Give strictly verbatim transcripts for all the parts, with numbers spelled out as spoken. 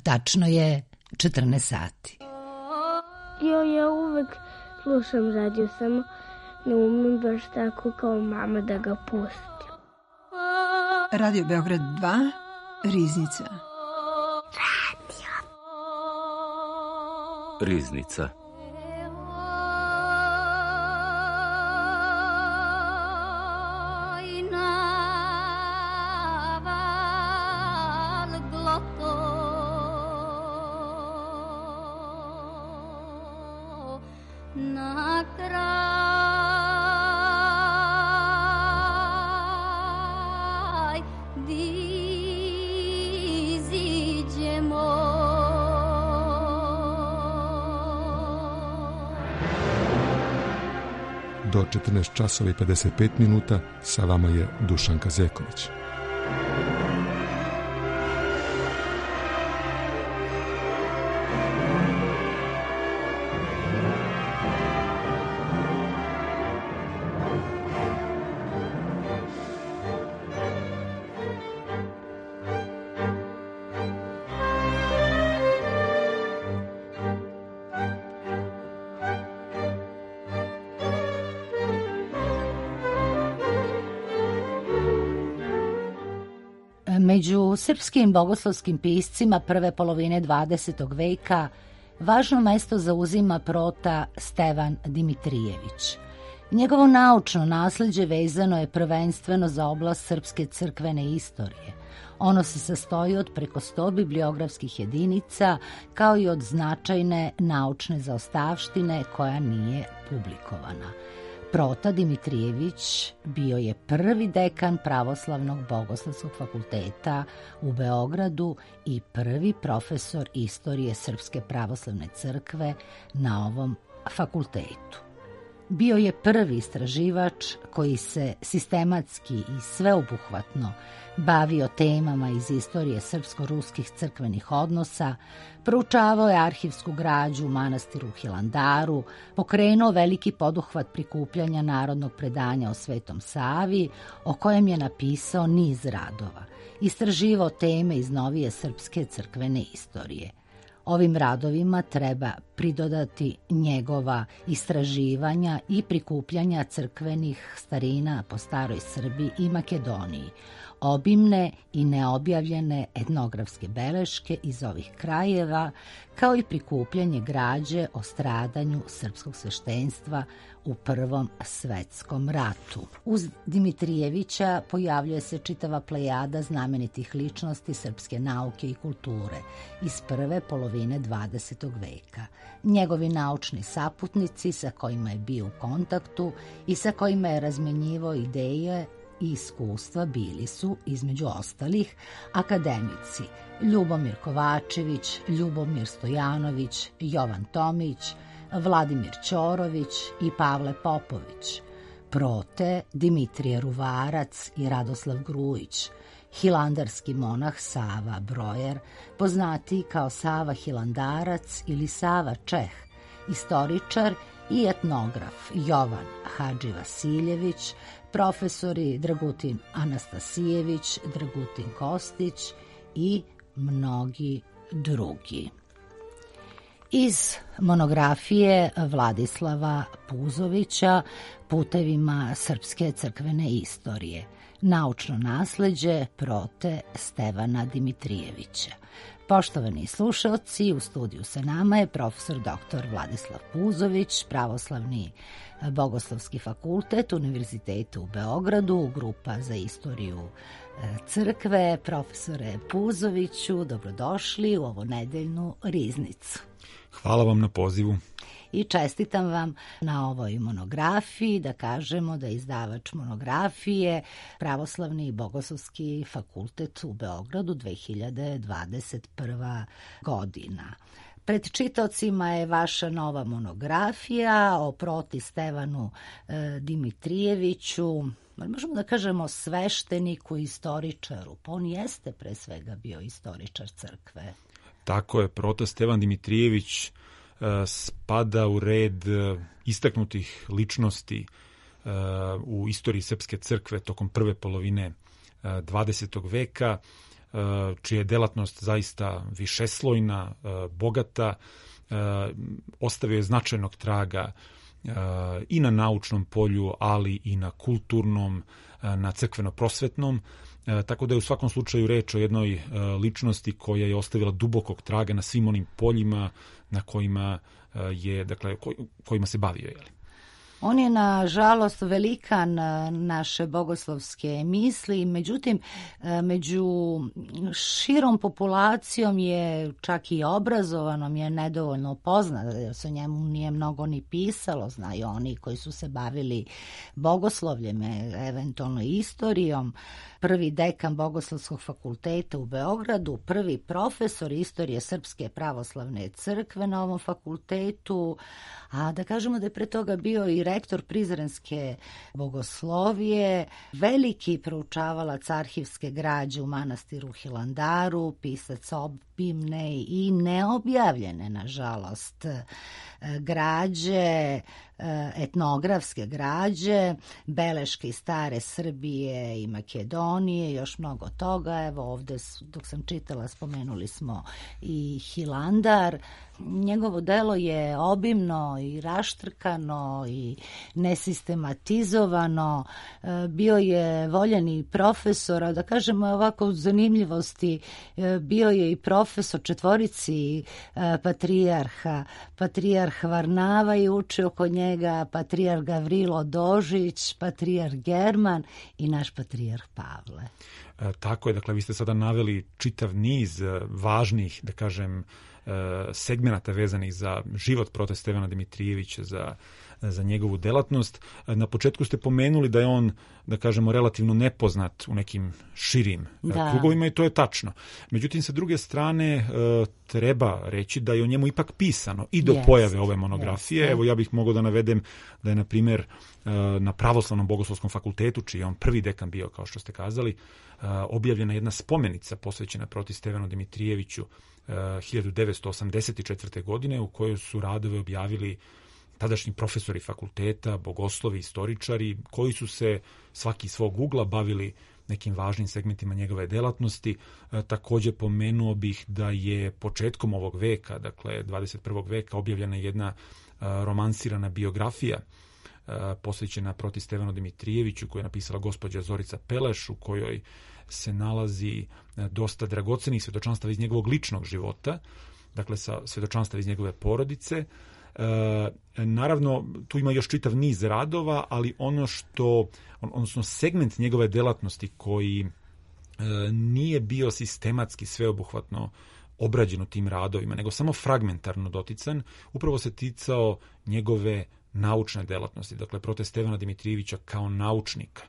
Tačno je četrnaest sati. Jo, ja uvek slušam radio, samo ne umem baš tako kao mama da ga pustim. Radio Beograd dva, Riznica. Radio. Riznica. Do četrnaest časova i pedeset pet minuta sa vama je Dušan Kazeković. Među srpskim bogoslovskim piscima prve polovine dvadesetog veka važno mesto zauzima prota Stevan Dimitrijević. Njegovo naučno nasleđe vezano je prvenstveno za oblast srpske crkvene istorije. Ono se sastoji od preko sto bibliografskih jedinica, kao i od značajne naučne zaostavštine koja nije publikovana. Prota Dimitrijević bio je prvi dekan Pravoslavnog bogoslovskog fakulteta u Beogradu i prvi profesor istorije Srpske pravoslavne crkve na ovom fakultetu. Bio je prvi istraživač koji se sistematski i sveobuhvatno bavio temama iz istorije srpsko-ruskih crkvenih odnosa, proučavao je arhivsku građu u manastiru Hilandaru, pokrenuo veliki poduhvat prikupljanja narodnog predanja o Svetom Savi, o kojem je napisao niz radova, istraživao teme iz novije srpske crkvene istorije. Ovim radovima treba pridodati njegova istraživanja i prikupljanja crkvenih starina po staroj Srbiji i Makedoniji, obimne i neobjavljene etnografske beleške iz ovih krajeva, kao i prikupljanje građe o stradanju srpskog sveštenstva u Prvom svetskom ratu. Uz Dimitrijevića pojavljuje se čitava plejada znamenitih ličnosti srpske nauke i kulture iz prve polovine dvadesetog veka. Njegovi naučni saputnici sa kojima je bio u kontaktu i sa kojima je razmenjivao ideje i iskustva bili su, između ostalih, akademici Ljubomir Kovačević, Ljubomir Stojanović, Jovan Tomić, Vladimir Ćorović i Pavle Popović, prote Dimitrije Ruvarac i Radoslav Grujić, hilandarski monah Sava Brojer, poznatiji kao Sava Hilandarac ili Sava Čeh, istoričar i etnograf Jovan Hadži Vasiljević, profesori Dragutin Anastasijević, Dragutin Kostić i mnogi drugi. Iz monografije Vladislava Puzovića Putevima srpske crkvene istorije, naučno nasleđe prote Stevana Dimitrijevića. Poštovani slušalci, u studiju sa nama je profesor doktor Vladislav Puzović, Pravoslavni bogoslovski fakultet Univerzitetu u Beogradu, grupa za istoriju crkve. Profesore Puzoviću, dobrodošli u ovu nedeljnu Riznicu. Hvala vam na pozivu. I čestitam vam na ovoj monografiji, da kažemo da je izdavač monografije Pravoslavni bogoslovski fakultet u Beogradu dve hiljade dvadeset prva godina. Pred čitaocima je vaša nova monografija o proti Stevanu e, Dimitrijeviću, možemo da kažemo svešteniku i istoričaru, pa on jeste pre svega bio istoričar crkve. Tako je, prota Stevan Dimitrijević e, spada u red e, istaknutih ličnosti e, u istoriji srpske crkve tokom prve polovine e, dvadesetog veka. čija je delatnost zaista višeslojna, bogata, ostavio je značajnog traga i na naučnom polju, ali i na kulturnom, na crkveno-prosvetnom, tako da je u svakom slučaju reč o jednoj ličnosti koja je ostavila dubokog traga na svim onim poljima na kojima je, dakle, kojima se bavio, je li? On je, nažalost, velikan naše bogoslovske misli, međutim, među širom populacijom je, čak i obrazovanom, je nedovoljno poznat, jer se o njemu nije mnogo ni pisalo, znaju oni koji su se bavili bogoslovljem, eventualno istorijom. Prvi dekan Bogoslovskog fakulteta u Beogradu, prvi profesor istorije Srpske pravoslavne crkve na ovom fakultetu, a da kažemo da je pre toga bio i rektor Prizrenske bogoslovije, veliki proučavalac arhivske građe u manastiru Hilandaru, pisac obimne i neobjavljene, nažalost, građe, etnografske građe, beleške iz stare Srbije i Makedonije, još mnogo toga. Evo ovde, dok sam čitala, spomenuli smo i Hilandar. Njegovo delo je obimno i raštrkano i nesistematizovano. Bio je voljeni profesor, a da kažemo ovako zanimljivosti, bio je i profesor četvorici patrijarha. Patrijarh Varnava je učio kod njega, patrijarh Gavrilo Dožić, patrijarh German i naš patrijarh Pavle. E, tako je, dakle, vi ste sada naveli čitav niz važnih, da kažem, segmenata vezanih za život prote Stevana Dimitrijevića, za, za njegovu delatnost. Na početku ste pomenuli da je on, da kažemo, relativno nepoznat u nekim širim da. krugovima i to je tačno. Međutim, sa druge strane, treba reći da je o njemu ipak pisano i do yes. pojave ove monografije. Yes. Evo, ja bih mogao da navedem da je, na primjer, na Pravoslavnom bogoslovskom fakultetu, čiji je on prvi dekan bio, kao što ste kazali, objavljena jedna spomenica posvećena protiv Stevanu Dimitrijeviću hiljadu devetsto osamdeset četvrte. godine, u kojoj su radove objavili tadašnji profesori fakulteta, bogoslovi, istoričari, koji su se svaki iz svog ugla bavili nekim važnim segmentima njegove delatnosti. E, također pomenuo bih da je početkom ovog veka, dakle dvadeset prvog veka, objavljena jedna e, romansirana biografija e, posvećena protiv Stevanu Dimitrijeviću, koju je napisala gospođa Zorica Peleš, u kojoj se nalazi dosta dragocenih svedočanstava iz njegovog ličnog života, dakle sa svedočanstava iz njegove porodice. E, naravno, tu ima još čitav niz radova, ali ono što, odnosno segment njegove delatnosti koji e, nije bio sistematski sveobuhvatno obrađen u tim radovima, nego samo fragmentarno dotican, upravo se ticao njegove naučne delatnosti, dakle prote Stevana Dimitrijevića kao naučnika.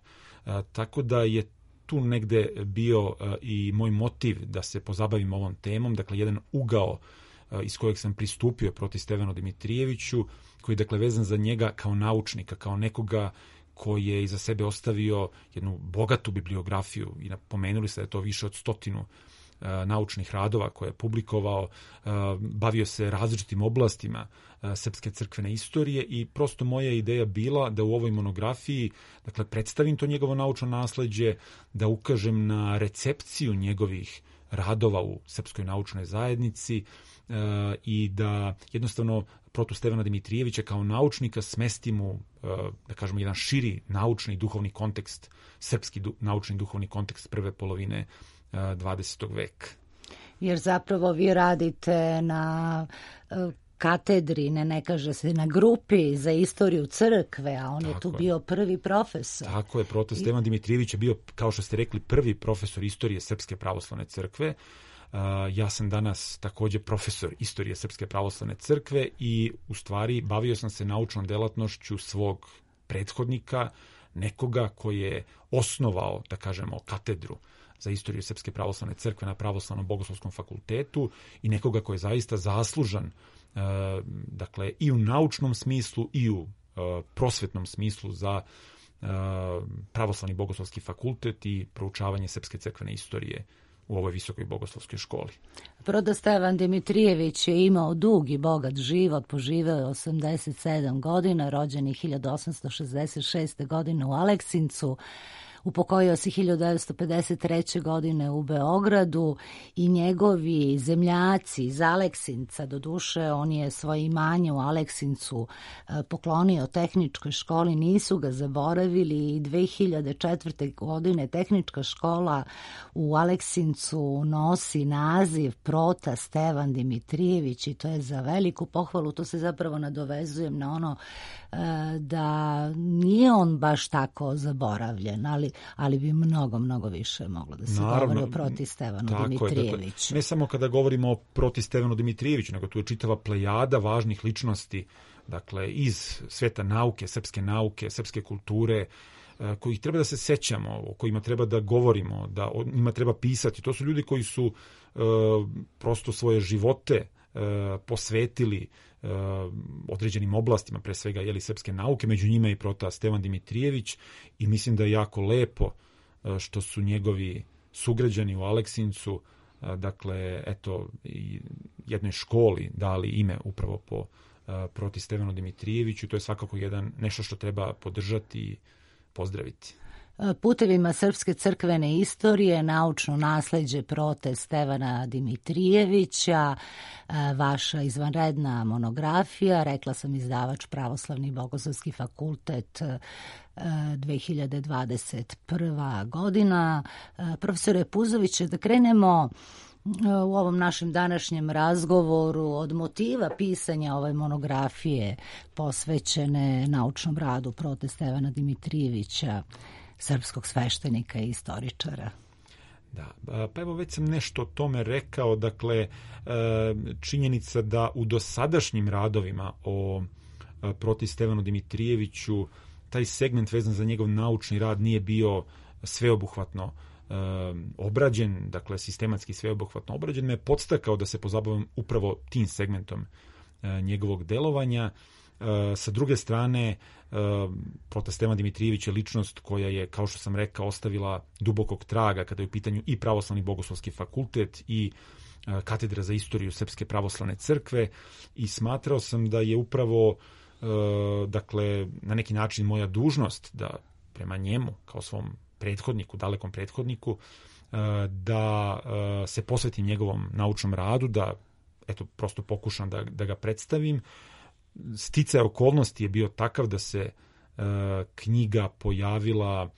E, tako da je tu negde bio uh, i moj motiv da se pozabavim ovom temom, dakle jedan ugao uh, iz kojeg sam pristupio protiv Stevanu Dimitrijeviću, koji je, dakle, vezan za njega kao naučnika, kao nekoga koji je iza sebe ostavio jednu bogatu bibliografiju i napomenuli se da je to više od stotinu uh, naučnih radova koje je publikovao, uh, bavio se različitim oblastima uh, srpske crkvene istorije i prosto moja ideja bila da u ovoj monografiji, dakle, predstavim to njegovo naučno nasleđe, da ukažem na recepciju njegovih radova u srpskoj naučnoj zajednici uh, i da jednostavno protu Stevana Dimitrijevića kao naučnika smestim u, uh, da kažemo, jedan širi naučni duhovni kontekst, srpski du, naučni duhovni kontekst prve polovine dvadesetog veka. Jer zapravo vi radite na uh, katedri, ne, ne kaže se, na grupi za istoriju crkve, a on tako je tu je. bio prvi profesor. Tako je, proto Stevan Dimitrijević je bio, kao što ste rekli, prvi profesor istorije Srpske pravoslavne crkve. Uh, ja sam danas također profesor istorije Srpske pravoslavne crkve i u stvari bavio sam se naučnom delatnošću svog prethodnika, nekoga koji je osnovao, da kažemo, katedru za istoriju Srpske pravoslavne crkve na Pravoslavnom bogoslovskom fakultetu i nekoga koji je zaista zaslužan, uh, dakle, i u naučnom smislu i u uh, prosvetnom smislu za uh, Pravoslavni bogoslovski fakultet i proučavanje srpske crkvene istorije u ovoj visokoj bogoslovskoj školi. Proto Stevan Dimitrijević je imao dug i bogat život, poživeo je osamdeset sedam godina, rođen je hiljadu osamsto šezdeset šeste. godine u Aleksincu. upokojio se hiljadu devetsto pedeset treće. godine u Beogradu i njegovi zemljaci iz Aleksinca, doduše on je svoje imanje u Aleksincu poklonio tehničkoj školi, nisu ga zaboravili i dve hiljade četvrte. godine tehnička škola u Aleksincu nosi naziv Prota Stevan Dimitrijević i to je za veliku pohvalu. To se zapravo nadovezujem na ono da nije on baš tako zaboravljen, ali, ali bi mnogo, mnogo više moglo da se Naravno, govori o Proti Stevanu Dimitrijeviću. Ne samo kada govorimo o Proti Stevanu Dimitrijeviću, nego tu je čitava plejada važnih ličnosti, dakle, iz sveta nauke, srpske nauke, srpske kulture, kojih treba da se sećamo, o kojima treba da govorimo, da o njima treba pisati. To su ljudi koji su e, prosto svoje živote e, posvetili e, određenim oblastima, pre svega jeli, srpske nauke, među njima i Prota Stevan Dimitrijević, i mislim da je jako lepo e, što su njegovi sugrađani u Aleksincu, e, dakle, eto, i jednoj školi dali ime upravo po e, Proti Stevanu Dimitrijeviću. To je svakako jedan, nešto što treba podržati i pozdraviti. Putevima srpske crkvene istorije, naučno nasleđe Prote Stevana Dimitrijevića, vaša izvanredna monografija, rekla sam izdavač Pravoslavni bogoslovski fakultet, dve hiljade dvadeset prva. godina. Profesore Puzoviće, da krenemo u ovom našem današnjem razgovoru od motiva pisanja ove monografije posvećene naučnom radu Prote Stevana Dimitrijevića, srpskog sveštenika i istoričara. Da, pa evo već sam nešto o tome rekao, dakle činjenica da u dosadašnjim radovima o Proti Stevanu Dimitrijeviću taj segment vezan za njegov naučni rad nije bio sveobuhvatno obrađen, dakle sistematski sveobuhvatno obrađen, me je podstakao da se pozabavim upravo tim segmentom njegovog delovanja. Sa druge strane, Prota Stevan Dimitrijević je ličnost koja je, kao što sam rekao, ostavila dubokog traga kada je u pitanju i Pravoslavni bogoslovski fakultet i Katedra za istoriju Srpske pravoslavne crkve, i smatrao sam da je upravo, dakle, na neki način moja dužnost da prema njemu, kao svom prethodniku, dalekom prethodniku, da se posvetim njegovom naučnom radu, da eto, prosto pokušam da, da ga predstavim. Sticaj okolnosti je bio takav da se knjiga pojavila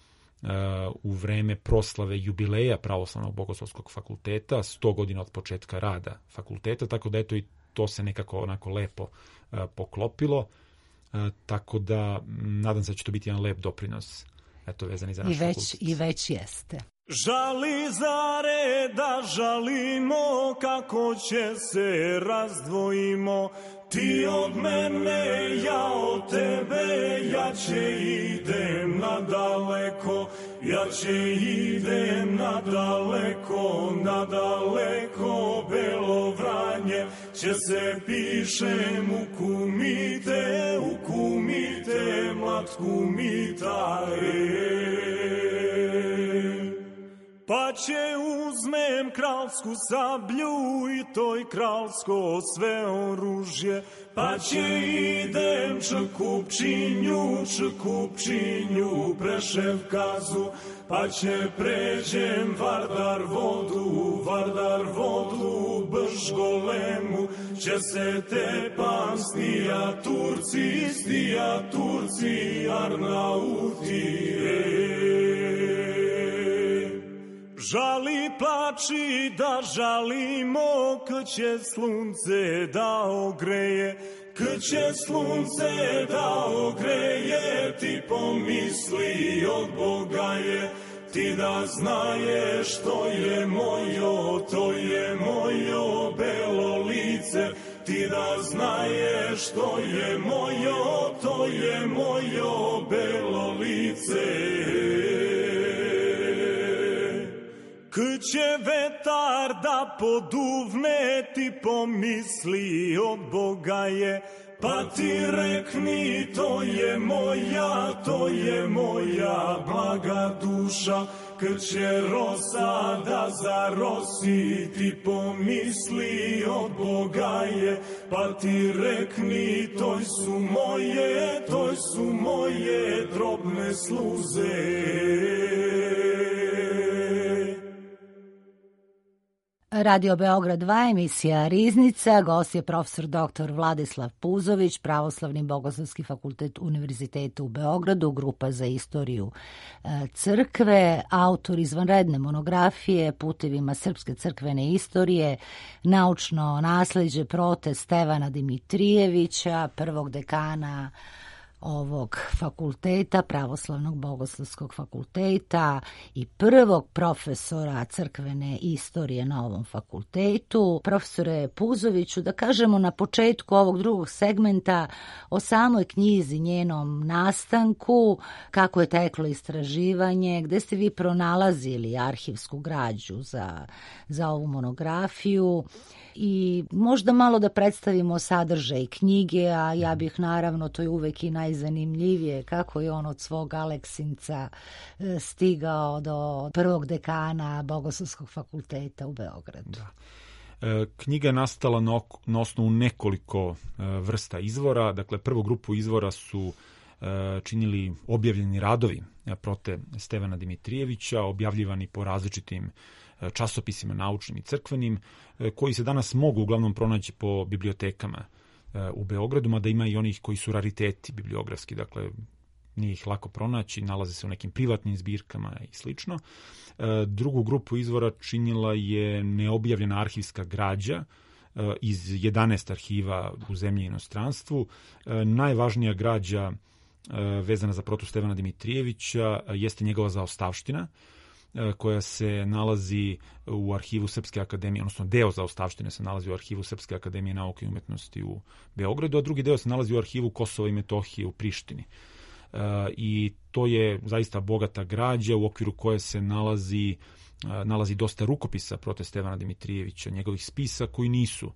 u vreme proslave jubileja Pravoslavnog bogoslovskog fakulteta, sto godina od početka rada fakulteta, tako da eto i to se nekako onako lepo poklopilo, tako da nadam se da će to biti jedan lep doprinos, eto, vezani za našu I već, fakultet. I već jeste. Žali zare da žalimo, kako će se razdvojimo, ti od mene, ja od tebe, ja će idem nadaleko, ja će idem nadaleko, nadaleko, Belo Vranje, će se pišem u kumite, u kumite, mlad kumita, pa će uzmem kralsku sablju i toj kralsko sve oružje, pa će idem Čekupčinju, Čekupčinju, Preševkazu, pa će pređem Vardar vodu, Vardar vodu, Bržgolemu, će se tepam stija Turci, stija Turci, Arnauti, žali plači da žalimo, k će slunce da ogreje, k će slunce da ogreje, ti pomisli od Boga je, ti da znaješ to je mojo, to je mojo belo lice, ti da znaješ to je mojo, to je mojo belo lice. K će vetar da poduvne, ti pomisli od Boga je, pa ti rekni to je moja, to je moja blaga duša. Kad će rosa da zarosi, ti pomisli od Boga je, pa ti rekni toj su moje, toj su moje drobne sluze. Radio Beograd dva, emisija Riznica, gost je profesor doktor Vladislav Puzović, Pravoslavni bogoslovski fakultet Univerziteta u Beogradu, grupa za istoriju crkve, autor izvanredne monografije Putevima srpske crkvene istorije, naučno nasleđe prote Stevana Dimitrijevića, prvog dekana ovog fakulteta, Pravoslavnog bogoslovskog fakulteta i prvog profesora crkvene istorije na ovom fakultetu. Profesore Puzoviću, da kažemo na početku ovog drugog segmenta o samoj knjizi, njenom nastanku, kako je teklo istraživanje, gde ste vi pronalazili arhivsku građu za, za ovu monografiju i možda malo da predstavimo sadržaj knjige, a ja bih naravno, to je uvek i najzanimljivije, kako je on od svog Aleksinca stigao do prvog dekana Bogoslovskog fakulteta u Beogradu. Da. E, knjiga je nastala na, na osnovu nekoliko e, vrsta izvora. Dakle, prvu grupu izvora su e, činili objavljeni radovi prote Stevana Dimitrijevića, objavljivani po različitim časopisima naučnim i crkvenim, koji se danas mogu uglavnom pronaći po bibliotekama u Beogradu, mada ima i onih koji su rariteti bibliografski, dakle nije ih lako pronaći, nalaze se u nekim privatnim zbirkama i slično. Drugu grupu izvora činila je neobjavljena arhivska građa iz jedanaest arhiva u zemlji i inostranstvu. Najvažnija građa vezana za protu Stevana Dimitrijevića jeste njegova zaostavština, koja se nalazi u arhivu Srpske akademije, odnosno deo zaostavštine se nalazi u arhivu Srpske akademije nauke i umetnosti u Beogradu, a drugi deo se nalazi u arhivu Kosova i Metohije u Prištini. I to je zaista bogata građa u okviru koje se nalazi, nalazi dosta rukopisa prote Stevana Dimitrijevića, njegovih spisa koji nisu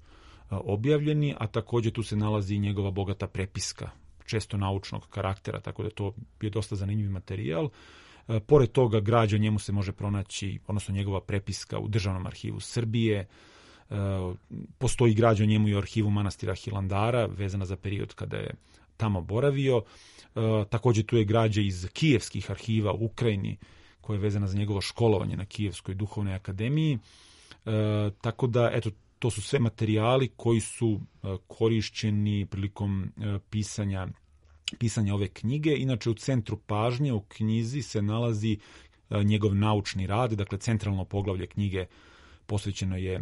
objavljeni, a također tu se nalazi i njegova bogata prepiska, često naučnog karaktera, tako da to je dosta zanimljiv materijal. Pored toga, građa njemu se može pronaći, odnosno njegova prepiska u Državnom arhivu Srbije. Postoji građa o njemu i u arhivu manastira Hilandara, vezana za period kada je tamo boravio. Također tu je građa iz kijevskih arhiva u Ukrajini, koja je vezana za njegovo školovanje na Kijevskoj duhovnoj akademiji. Tako da, eto, to su sve materijali koji su korišćeni prilikom pisanja pisanja ove knjige. Inače, u centru pažnje u knjizi se nalazi njegov naučni rad, dakle centralno poglavlje knjige posvećeno je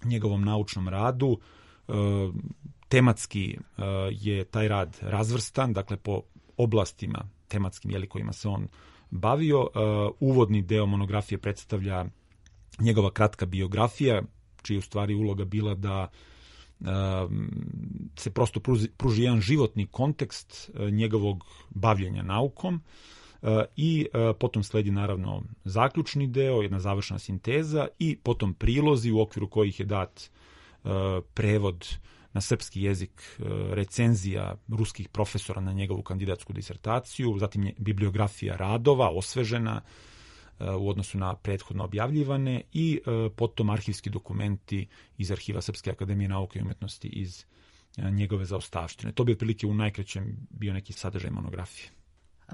njegovom naučnom radu. Tematski je taj rad razvrstan, dakle po oblastima tematskim jeli, kojima se on bavio. Uvodni deo monografije predstavlja njegova kratka biografija, čija je u stvari uloga bila da se prosto pruži, pruži jedan životni kontekst njegovog bavljenja naukom i potom sledi naravno zaključni deo, jedna završna sinteza i potom prilozi u okviru kojih je dat prevod na srpski jezik recenzija ruskih profesora na njegovu kandidatsku disertaciju, zatim bibliografija radova osvežena u odnosu na prethodno objavljivane i potom arhivski dokumenti iz arhiva Srpske akademije nauke i umetnosti iz njegove zaostavštine. To bi otprilike u najkraćem bio neki sadržaj monografije.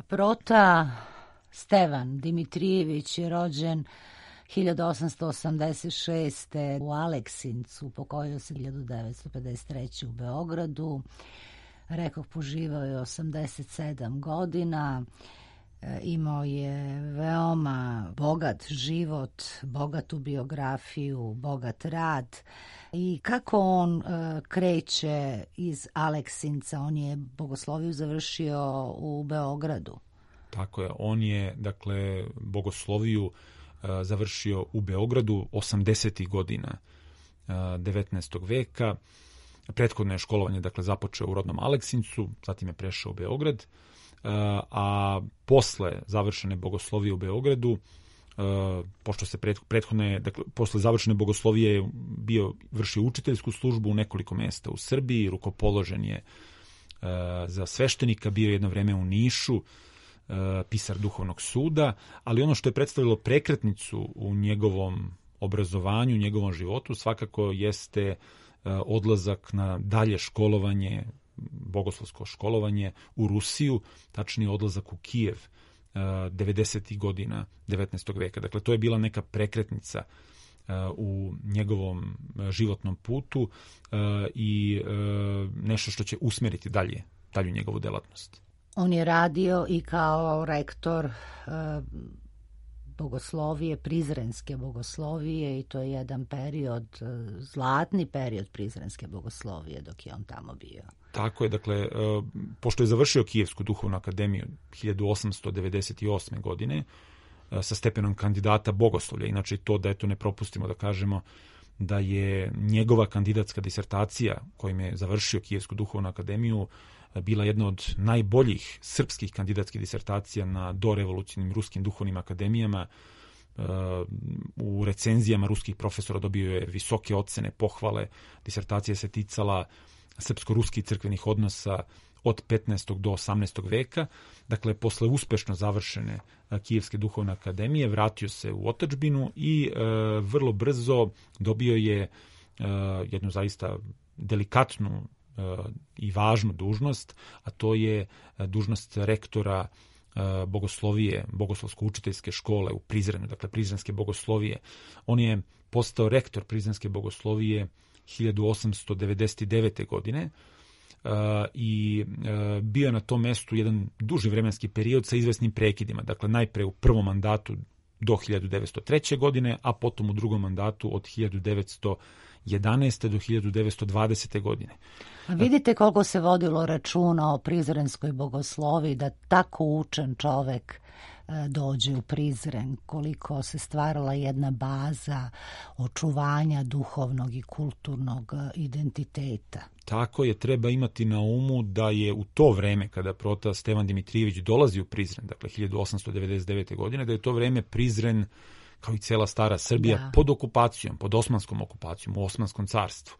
Prota Stevan Dimitrijević je rođen hiljadu osamsto osamdeset šeste. u Aleksincu, pokojio se hiljadu devetsto pedeset treće. u Beogradu. Rekoh, poživao je osamdeset sedam godina. Imao je veoma bogat život, bogatu biografiju, bogat rad. I kako on uh, kreće iz Aleksinca? On je bogosloviju završio u Beogradu. Tako je, on je dakle bogosloviju uh, završio u Beogradu osamdesetih godina uh, devetnaestog veka. Prethodno je školovanje dakle započeo u rodnom Aleksincu, zatim je prešao u Beograd. A posle završene bogoslovije u Beogradu pošto se prethodne, dakle, posle završene bogoslovije bio vršio učiteljsku službu u nekoliko mesta u Srbiji, rukopoložen je za sveštenika, bio jedno vreme u Nišu, pisar duhovnog suda, ali ono što je predstavilo prekretnicu u njegovom obrazovanju, u njegovom životu, svakako jeste odlazak na dalje školovanje, bogoslovsko školovanje u Rusiju, tačnije odlazak u Kijev devedesetih godina devetnaestog veka. Dakle, to je bila neka prekretnica u njegovom životnom putu i nešto što će usmeriti dalje, dalju njegovu delatnost. On je radio i kao rektor bogoslovije, prizrenske bogoslovije, i to je jedan period, zlatni period prizrenske bogoslovije dok je on tamo bio. Tako je, dakle, pošto je završio Kijevsku duhovnu akademiju hiljadu osamsto devedeset osme. godine sa stepenom kandidata bogoslovlja, inače to da eto ne propustimo da kažemo da je njegova kandidatska disertacija kojim je završio Kijevsku duhovnu akademiju bila jedna od najboljih srpskih kandidatskih disertacija na dorevolucionim ruskim duhovnim akademijama. U recenzijama ruskih profesora dobio je visoke ocene, pohvale. Disertacija se ticala srpsko-ruskih crkvenih odnosa od petnaestog do osamnaestog veka. Dakle, posle uspešno završene Kijevske duhovne akademije vratio se u otadžbinu i e, vrlo brzo dobio je e, jednu zaista delikatnu e, i važnu dužnost, a to je dužnost rektora e, bogoslovije, bogoslovsko-učiteljske škole u Prizrenu, dakle Prizrenske bogoslovije. On je postao rektor Prizrenske bogoslovije hiljadu osamsto devedeset devete. godine uh, i uh, bio je na tom mestu jedan duži vremenski period sa izvesnim prekidima. Dakle, najpre u prvom mandatu do hiljadu devetsto treće. godine, a potom u drugom mandatu od hiljadu devetsto jedanaeste. do hiljadu devetsto dvadesete. godine. A vidite koliko se vodilo računa o prizrenskoj bogosloviji, da tako učen čovek dođe u Prizren, koliko se stvarala jedna baza očuvanja duhovnog i kulturnog identiteta. Tako je, treba imati na umu da je u to vreme kada prota Stevan Dimitrijević dolazi u Prizren, dakle hiljadu osamsto devedeset devete. godine, da je to vreme Prizren, kao i cela stara Srbija, da, pod okupacijom, pod osmanskom okupacijom, u Osmanskom carstvu.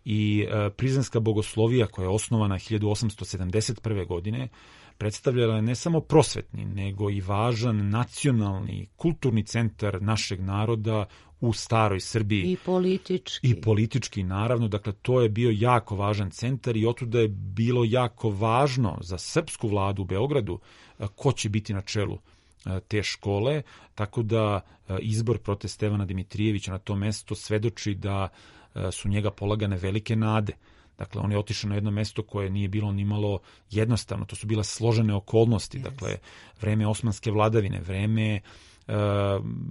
I e, prizrenska bogoslovija koja je osnovana hiljadu osamsto sedamdeset prve. godine predstavljala je ne samo prosvetni, nego i važan nacionalni, kulturni centar našeg naroda u staroj Srbiji. I politički. I politički, naravno. Dakle, to je bio jako važan centar i otuda je bilo jako važno za srpsku vladu u Beogradu ko će biti na čelu te škole, tako da izbor prote Stevana Dimitrijevića na to mesto svedoči da su njega polagane velike nade. Dakle, on je otišao na jedno mesto koje nije bilo ni malo jednostavno. To su bile složene okolnosti. Yes. Dakle, vreme osmanske vladavine, vreme uh,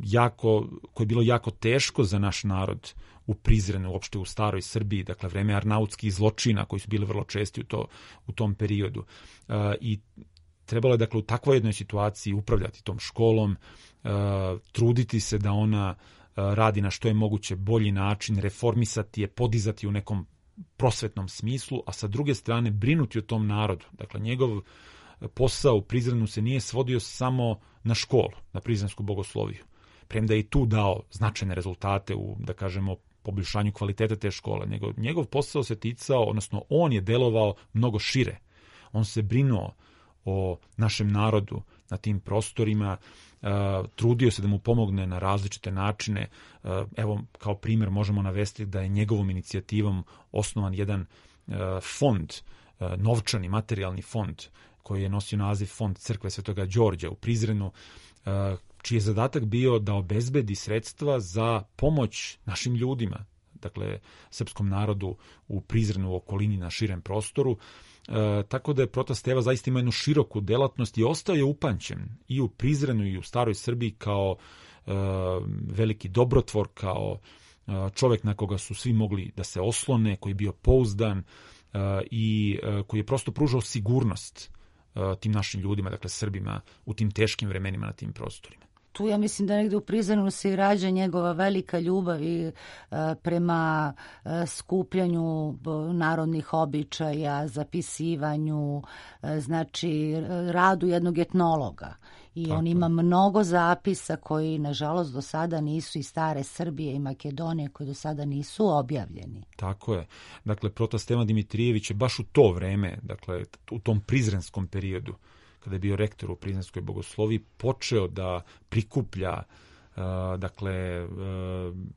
jako, koje je bilo jako teško za naš narod u Prizrenu, uopšte u staroj Srbiji. Dakle, vreme arnautskih zločina koji su bili vrlo česti u, to, u tom periodu. Uh, I trebalo je, dakle, u takvoj jednoj situaciji upravljati tom školom, uh, truditi se da ona uh, radi na što je moguće bolji način, reformisati je, podizati u nekom prosvetnom smislu, a sa druge strane brinuti o tom narodu. Dakle, njegov posao u Prizrenu se nije svodio samo na školu, na prizrensku bogosloviju. Premda je i tu dao značajne rezultate u, da kažemo, poboljšanju kvaliteta te škole. Njegov, njegov posao se ticao, odnosno on je delovao mnogo šire. On se brinuo o našem narodu na tim prostorima, uh, trudio se da mu pomogne na različite načine. Uh, evo, kao primjer možemo navesti da je njegovom inicijativom osnovan jedan uh, fond, uh, novčani, materijalni fond, koji je nosio naziv Fond Crkve Svetoga Đorđa u Prizrenu, uh, čiji je zadatak bio da obezbedi sredstva za pomoć našim ljudima, dakle, srpskom narodu u Prizrenu, u okolini, na širem prostoru. E, tako da je prota Steva zaista ima jednu široku delatnost i ostao je upamćen i u Prizrenu i u staroj Srbiji kao e, veliki dobrotvor, kao e, čovjek na koga su svi mogli da se oslone, koji je bio pouzdan e, i e, koji je prosto pružao sigurnost e, tim našim ljudima, dakle Srbima, u tim teškim vremenima na tim prostorima. Tu ja mislim da negdje u Prizrenu se i rađa njegova velika ljubav i e, prema e, skupljanju narodnih običaja, zapisivanju, e, znači radu jednog etnologa. I Tako on je. ima mnogo zapisa koji, nažalost, do sada nisu iz stare Srbije i Makedonije, koji do sada nisu objavljeni. Tako je. Dakle, Prota Stevan Dimitrijević je baš u to vreme, dakle, u tom prizrenskom periodu, kada je bio rektor u Prizrenskoj bogosloviji, počeo da prikuplja uh, dakle, uh,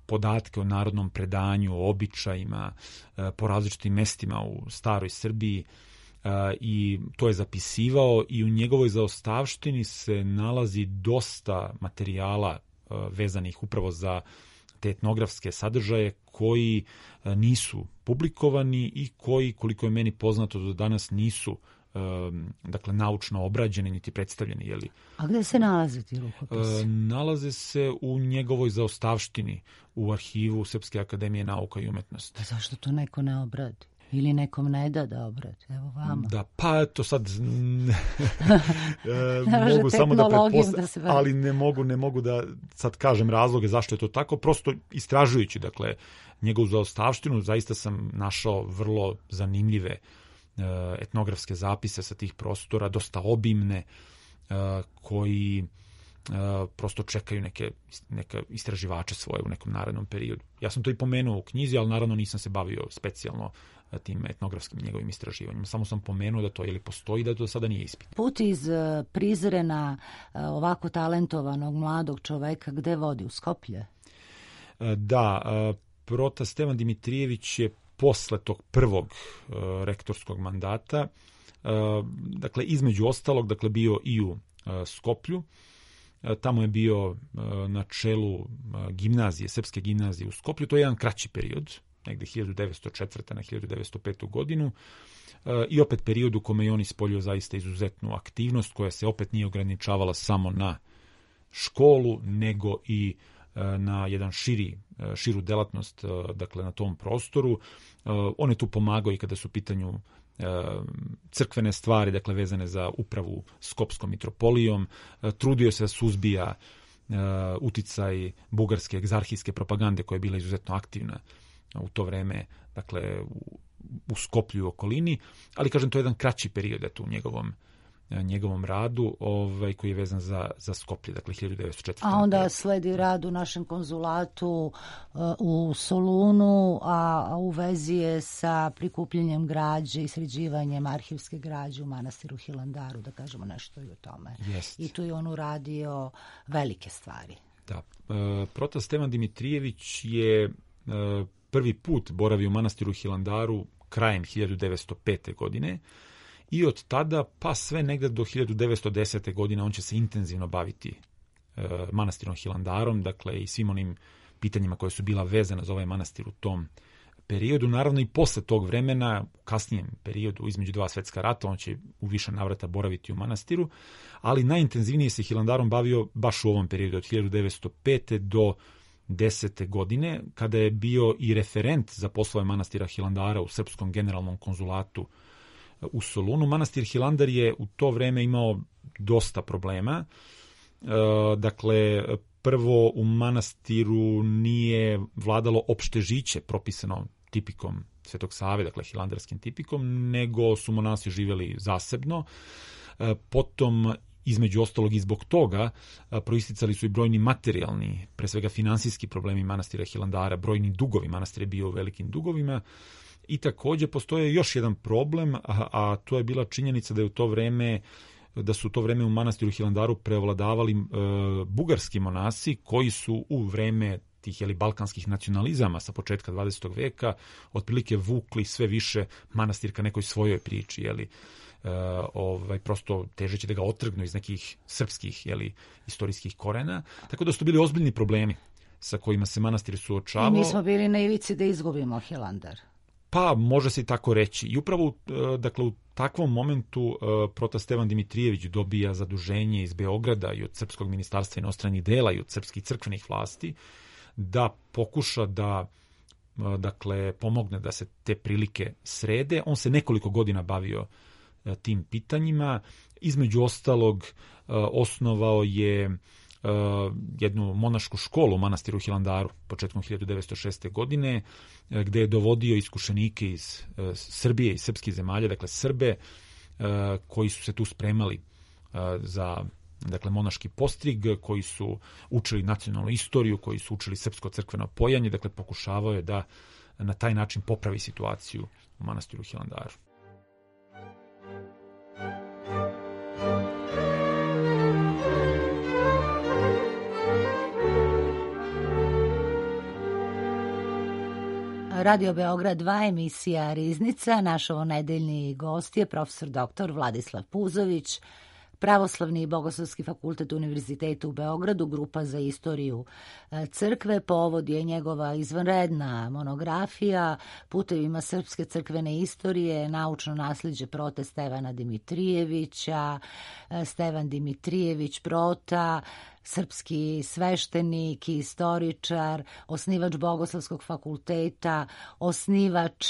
podatke o narodnom predanju, o običajima uh, po različitim mestima u staroj Srbiji, uh, i to je zapisivao i u njegovoj zaostavštini se nalazi dosta materijala uh, vezanih upravo za te etnografske sadržaje koji uh, nisu publikovani i koji, koliko je meni poznato, do danas nisu dakle naučno obrađeni niti predstavljeni, je li? A gde se nalaze ti rukopisi? E, nalaze se u njegovoj zaostavštini u arhivu Srpske akademije nauka i umetnosti. Pa zašto to neko ne obradi? Ili nekom ne da da obradi? Evo vama. Da, pa eto sad e, mogu samo da pretpostavim, ali ne mogu, ne mogu da sad kažem razloge zašto je to tako, prosto istražujući, dakle, njegovu zaostavštinu, zaista sam našao vrlo zanimljive etnografske zapise sa tih prostora, dosta obimne, koji prosto čekaju neke, neke istraživače svoje u nekom narednom periodu. Ja sam to i pomenuo u knjizi, ali naravno nisam se bavio specijalno tim etnografskim njegovim istraživanjima. Samo sam pomenuo da to ili postoji, da to sada nije ispit. Put iz Prizrena ovako talentovanog mladog čoveka gde vodi? U Skoplje? Da, Prota Stevan Dimitrijević je posle tog prvog uh, rektorskog mandata, uh, dakle, između ostalog, dakle, bio i u uh, Skoplju. Uh, tamo je bio uh, na čelu uh, gimnazije, Srpske gimnazije u Skoplju. To je jedan kraći period, negde hiljadu devetsto četvrte na hiljadu devetsto petu godinu. Uh, I opet period u kome je on ispoljio zaista izuzetnu aktivnost, koja se opet nije ograničavala samo na školu, nego i na jedan širi, širu delatnost, dakle, na tom prostoru. On je tu pomagao i kada su u pitanju crkvene stvari, dakle, vezane za upravu Skopskom mitropolijom. Trudio se da suzbija uticaj bugarske egzarhijske propagande koja je bila izuzetno aktivna u to vreme, dakle, u, u Skoplju i okolini, ali, kažem, to je jedan kraći period, eto, u njegovom njegovom radu, ovaj, koji je vezan za, za Skoplje, dakle hiljadu devetsto četvrte. A onda sledi rad u našem konzulatu uh, u Solunu, a, a u vezi je sa prikupljanjem građe i sređivanjem arhivske građe u manastiru Hilandaru, da kažemo nešto i o tome. Jest. I tu je on uradio velike stvari. Da. E, Prota Stevan Dimitrijević je e, prvi put boravio u manastiru Hilandaru krajem hiljadu devetsto pete. godine. I od tada, pa sve negde do hiljadu devetsto desete. godine, on će se intenzivno baviti e, manastirom Hilandarom, dakle, i svim onim pitanjima koje su bila vezana za ovaj manastir u tom periodu. Naravno, i posle tog vremena, u kasnijem periodu, između dva svetska rata, on će u više navrata boraviti u manastiru, ali najintenzivnije se Hilandarom bavio baš u ovom periodu, od hiljadu devetsto pete. do desete. godine, kada je bio i referent za poslove manastira Hilandara u Srpskom generalnom konzulatu u Solunu. Manastir Hilandar je u to vreme imao dosta problema. E, dakle, prvo, u manastiru nije vladalo opšte žiće propisano tipikom Svetog Save, dakle hilandarskim tipikom, nego su monasi živjeli zasebno. E, potom, između ostalog i zbog toga, proisticali su i brojni materijalni, pre svega finansijski problemi manastira Hilandara, brojni dugovi, manastir je bio u velikim dugovima. I takođe postoje još jedan problem, a, a to je bila činjenica da je u to vreme da su u to vreme u manastiru Hilandaru prevladavali e, bugarski monasi koji su u vreme tih, jeli, balkanskih nacionalizama sa početka dvadesetog veka otprilike vukli sve više manastir ka nekoj svojoj priči, jeli, e, ovaj, prosto težeći da ga otrgnu iz nekih srpskih, jeli, istorijskih korena, tako da su to bili ozbiljni problemi sa kojima se manastir suočavao. I mi smo bili na ivici da izgubimo Hilandar. Pa, može se i tako reći. I upravo, dakle, u takvom momentu Prota Stevan Dimitrijević dobija zaduženje iz Beograda i od Srpskog ministarstva inostranih dela i od srpskih crkvenih vlasti da pokuša da, dakle, pomogne da se te prilike srede. On se nekoliko godina bavio tim pitanjima. Između ostalog, osnovao je jednu monašku školu u manastiru Hilandaru početkom hiljadu devetsto šeste. godine, gde je dovodio iskušenike iz Srbije i srpskih zemalja, dakle Srbe, koji su se tu spremali za dakle monaški postrig, koji su učili nacionalnu istoriju, koji su učili srpsko crkveno pojanje, dakle pokušavao je da na taj način popravi situaciju u manastiru Hilandaru. Radio Beograd dva, emisija Riznica. Naš ovonedeljni gost je profesor doktor Vladislav Puzović, Pravoslavni i Bogoslovski fakultet Univerziteta u Beogradu, grupa za istoriju crkve. Povod je njegova izvanredna monografija Putevima srpske crkvene istorije, naučno nasljeđe prote Stevana Dimitrijevića, Stevan Dimitrijević prota, srpski sveštenik i istoričar, osnivač Bogoslovskog fakulteta, osnivač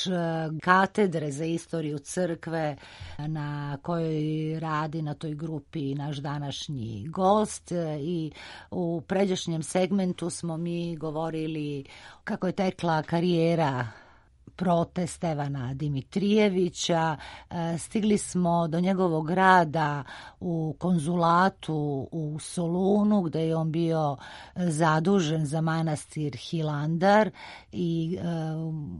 katedre za istoriju crkve na kojoj radi na toj grupi naš današnji gost. I u pređašnjem segmentu smo mi govorili kako je tekla karijera prote Stevana Dimitrijevića. Stigli smo do njegovog rada u konzulatu u Solunu, gde je on bio zadužen za manastir Hilandar, i